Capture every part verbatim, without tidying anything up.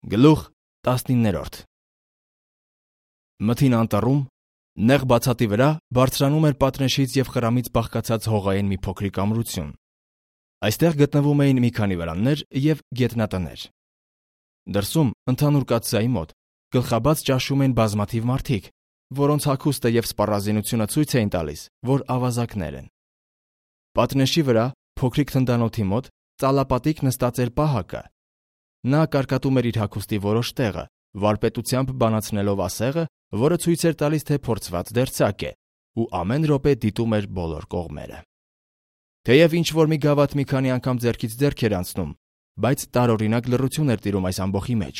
Գլուխ տասնիններորդ Մթին անտառում, նեղ բացատի վրա բարձրանում էր պատնեշից և խրամից բաղկացած հողային մի փոքրիկ ամրություն։ Այստեղ գտնվում էին մի քանի վրաններ և գետնատներ։ Դրսում, ընդհանուր կաթսայի մոտ, գլխաբաց ճաշում էին բազմաթիվ մարդիկ, որոնց հագուստը և սպառազինությունը ցույց էին տալիս, որ ավազակներ են։ Պատնեշի վրա, փոքրիկ թնդանոթի մոտ, ծալապատիկ նստած էր պահակը։ Նա կարկատում էր իր հագուստի որոշ տեղը, վարպետությամբ բանացնելով ասեղը, որը ցույց էր տալիս, թե փորձված դերձակ է, ու ամեն րոպե դիտում էր բոլոր կողմերը։ Թեև ինչ-որ մի գավաթ մի քանի անգամ ձեռքից ձեռք էր անցնում, բայց տարօրինակ լռություն էր տիրում այս ամբոխի մեջ։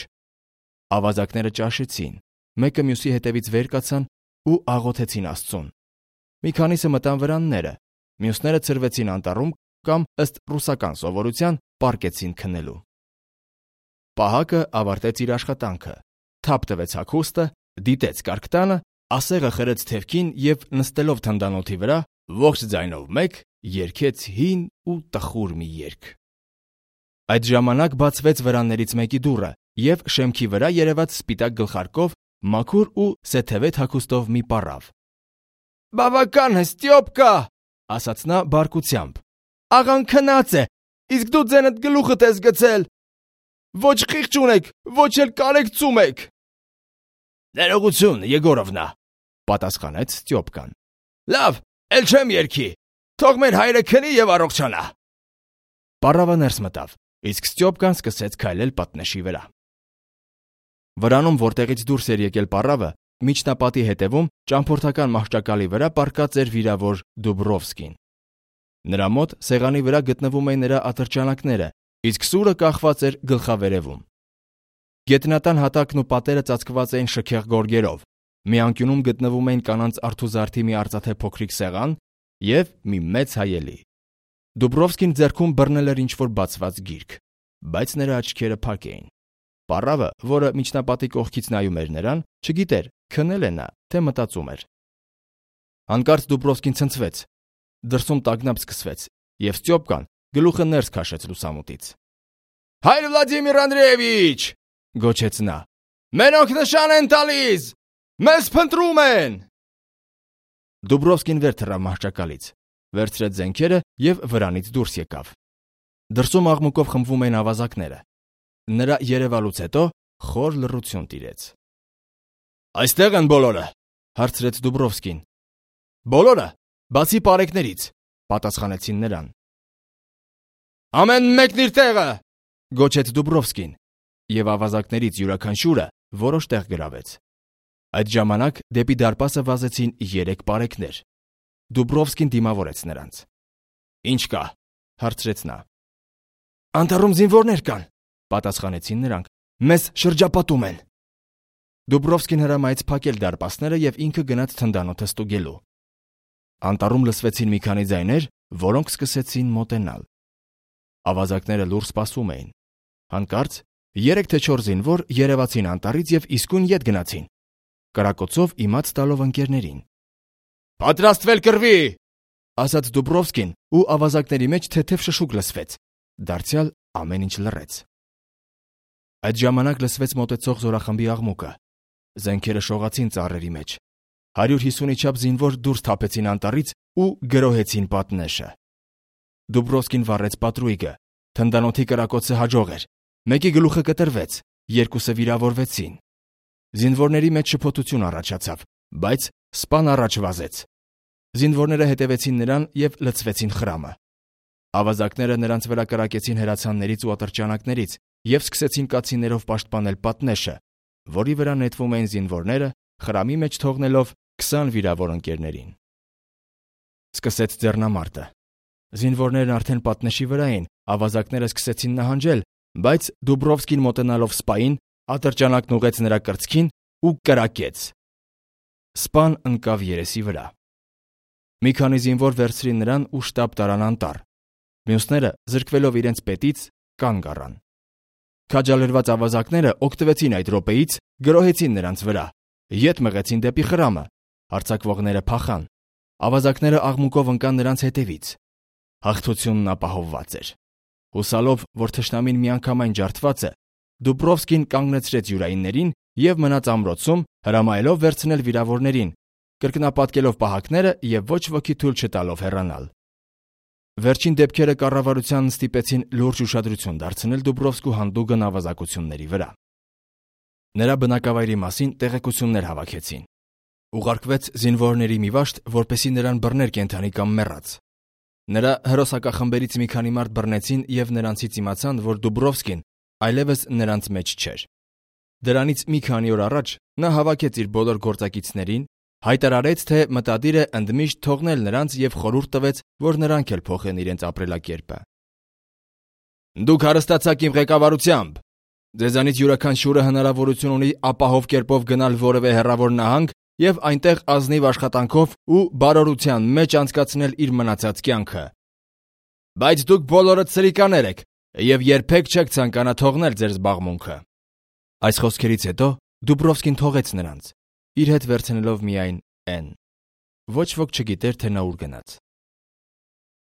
Ավազակները ճաշեցին, մեկը մյուսի հետևից վեր կացան ու աղոթեցին Աստծուն։ Մի քանիսը մտան վրանները, մյուսները ցրվեցին անտառում կամ, ըստ ռուսական սովորության, պառկեցին քնելու։ Պահակը ավարտեց իր աշխատանքը, թափ տվեց հագուստը, դիտեց կարկտանը, ասեղը խրեց թևքին և նստելով թնդանոթի վրա, ողջ ձայնով մեկ երգեց հին ու տխուր մի երգ։ Այդ ժամանակ բացվեց վրաններից մեկի դուռը, և շեմքի վրա երևաց սպիտակ գլխարկով, մաքուր ու սեթևետ հագուստով մի պառավ։ «Բավական է, Ստյոպկա», ասաց նա բարկությամբ։ «Աղան քնած է, իսկ դու ձենդ գլուխդ ես գցել։ Ոչ խիղճ ունեք, ոչ էլ կարեկցում եք»։ «Ներողություն, Եգորովնա», պատասխանեց Ստյոպկան։ «Լավ, էլ չեմ երգի, թող մեր հայրը քնի և առողջանա»։ Պառավը ներս մտավ, իսկ Ստյոպկան սկսեց քայլել պատնեշի վրա։ Վրանում, որտեղից դուրս էր եկել պառավը, միջնապատի հետևում, ճամփորդական մահճակալի վրա պառկած էր վիրավոր Դուբրովսկին։ Նրա մոտ սեղանի վրա գտնվում էին նրա ատրճանակները, իսկ սուրը կախված էր գլխավերևում։ Գետնատան հատակն ու պատերը ծածկված էին շքեղ գորգերով, մի անկյունում գտնվում էին կանանց արթուզարդի մի արծաթե փոքրիկ սեղան և մի մեծ հայելի։ Դուբրովսկին ձեռքում բռնել էր ինչ-որ բացված գիրք, բայց նրա աչքերը փակ էին։ Պառավը, որը միջնապատի կողքից նայում էր նրան, չգիտեր, քնել է նա, թե մտածում էր։ Հանկարծ Դուբրովսկին ցնցվեց, դրսում տագնապ սկսվեց, և Ստյոպկան գլուխը ներս քաշեց լուսամուտից։ «Հայր Վլադիմիր Անդրեևիչ», գոչեց նա, «մենոնք նշան են տալիս, մեզ փնտրում են»։ Դուբրովսկին վեր թռավ մահճակալից, վերցրեց զենքերը և վրանից դուրս եկավ։ Դրսում աղմուկով խմբվում էին ավազակները։ Նրա երևալուց հետո խոր լռություն տիրեց։ «Այստեղ են բոլորը», հարցրեց Դուբրովսկին։ «Բոլորը, բացի պարեկներից», պատասխանեցին նրան։ «Ամեն մեկն իր տեղը», գոչեց Դուբրովսկին, և ավազակներից յուրաքանչյուրը որոշ տեղ գրավեց։ Այդ ժամանակ դեպի դարպասը վազեցին երեք պարեկներ։ Դուբրովսկին դիմավորեց նրանց։ «Ինչ կա», հարցրեց նա։ «Անտառում զինվորներ կան», պատասխանեցին նրանք։ «Մեզ շրջապատում են»։ Դուբրովսկին հրամայեց փակել դարպասները և ինքը գնաց թնդանոթը ստուգելու։ Անտառում լսվեցին մի քանի ձայներ, որոնք սկսեցին մոտենալ։ Ավազակները լուռ սպասում էին։ Հանկարծ երեք թե չորս զինվոր երևացին անտառից և իսկույն ետ գնացին, կրակոցով իմաց տալով ընկերներին։ «Պատրաստվել կռվի», ասաց Դուբրովսկին, ու ավազակների մեջ թեթև շշուկ լսվեց։ Դարձյալ ամեն ինչ լռեց։ Այդ ժամանակ լսվեց մոտեցող զորախմբի աղմուկը։ Զենքերը շողացին ծառերի մեջ։ Հարյուր հիսունի չափ զինվոր դուրս թափեցին անտառից ու գրոհեցին պատնեշը։ Դուբրովսկին վառեց պատրույգը։ Թնդանոթի կրակոցը հաջող էր։ Մեկի գլուխը կտրվեց, երկուսը վիրավորվեցին։ Զինվորների մեջ շփոթություն առաջացավ, բայց սպան առաջ վազեց։ Զինվորները հետևեցին նրան և լցվեցին խրամը։ Ավազակները նրանց վրա կրակեցին հրացաններից ու ատրճանակներից և սկսեցին կացիններով պաշտպանել պատնեշը, որի վրա նետվում էին զինվորները, խրամի մեջ թողնելով քսան վիրավոր ընկերներին։ Սկսեց ձեռնամարտը։ Զինվորներն արդեն պատնեշի վրա էին, ավազակները սկսեցին նահանջել, բայց Դուբրովսկին մոտենալով սպային, ատրճանակն ուղղեց նրա կրծքին ու կրակեց։ Սպան ընկավ երեսի վրա։ Մի քանի զինվոր վերցրին նրան ու շտապ տարան անտառ։ Մյուսները, զրկվելով իրենց պետից, կանգ առան։ Քաջալերված ավազակները օգտվեցին այդ րոպեից, գրոհեցին նրանց վրա, ետ մղեցին դեպի խրամը, հարձակվողները փախան։ Ավազակները աղմուկով ընկան նրանց հետևից։ Հաղթությունն ապահովված էր։ Հուսալով, որ թշնամին միանգամայն ջարդված է, Դուբրովսկին կանգնեցրեց յուրայիններին եւ մնաց ամրոցում, հրամայելով վերցնել վիրավորներին, կրկնապատկելով պահակները եւ ոչ ոքի թույլ չտալով հեռանալ։ Վերջին դեպքերը կառավարությանն ստիպեցին լուրջ ուշադրություն դարձնել Դուբրովսկու հանդուգն ավազակությունների վրա։ Նրա բնակավայրի մասին տեղեկություններ հավաքեցին։ Ուղարկվեց զինվորների մի վաշտ, որպեսզի նրան բռներ կենդանի կամ մեռած։ Նրա հերոսակախմբերից մի քանի մարդ բռնեցին եւ նրանցից իմացան, որ Դուբրովսկին այլևս նրանց մեջ չէր։ Դրանից մի քանի օր առաջ նա հավաքեց իր բոլոր գործակիցներին, հայտարարեց, թե մտադիր է ընդմիշտ թողնել նրանց եւ խորհուրդ տվեց, որ նրանք էլ փոխեն իրենց ապրելակերպը։ Դուք հարստացաք իմ ղեկավարությամբ։ Ձեզանից յուրաքանչյուրը հնարավորություն ունի ապահով կերպով գնալ որևէ հեռավոր նահանգ եւ այնտեղ ազնիվ աշխատանքով ու բարօրության մեջ անցկացնել իր մնացած կյանքը։ Բայց դուք բոլորդ սրիկաներ եք եւ երբեք չեք ցանկանա թողնել ձեր զբաղմունքը։ Այս խոսքերից հետո Դուբրովսկին թողեց նրանց, իր հետ վերցնելով միայն N. Ոչ ոք չգիտեր, թե նա ուր գնաց։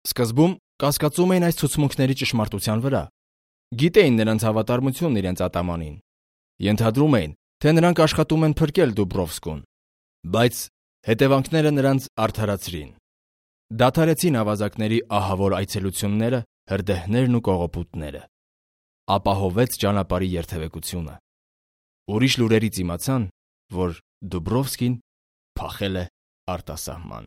Սկզբում կասկածում էին այս ցուցմունքների ճշմարտության վրա։ Գիտեին նրանց հավատարմությունն իրենց ատամանին։ Ենթադրում էին, թե նրանք աշխատում են փրկել Դուբրովսկուն, բայց հետևանքները նրանց արդարացրին։ Դադարեցին ավազակների ահավոր այցելությունները, հրդեհներն ու կողոպուտները։ Ապահովեց ճանապարհի երթևեկությունը։ Ուրիշ լուրերից իմացան, որ Դուբրովսկին փախել է արտասահման։